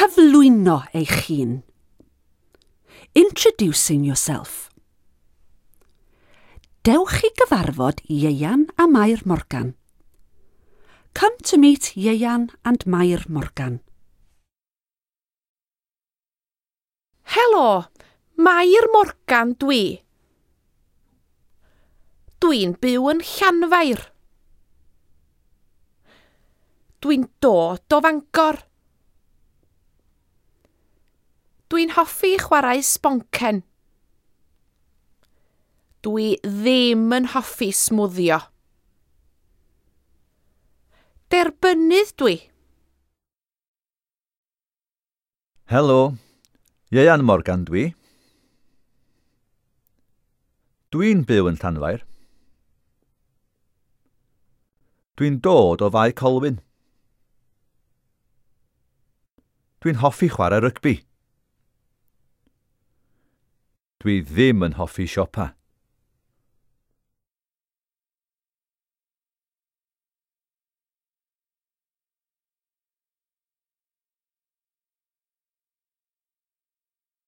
Cyflwyno eich hun. Introducing yourself. Dewch i gyfarfod Ieuan a Mair Morgan. Come to meet Ieuan and Mair Morgan. Helo, Mair Morgan dwi. Dwi'n byw yn Llanfair. Dwi'n dod o Fangor. Dwi'n hoffi chwarae sboncen. Dwi ddim yn hoffi smwddio. Derbynnydd dwi. Helo, Ieuan Morgan dwi. Dwi'n byw yn Llanfair. Dwi'n dod o Fae Colwyn. Dwi'n hoffi chwarae rygbi. Dwi ddim yn hoffi siopa.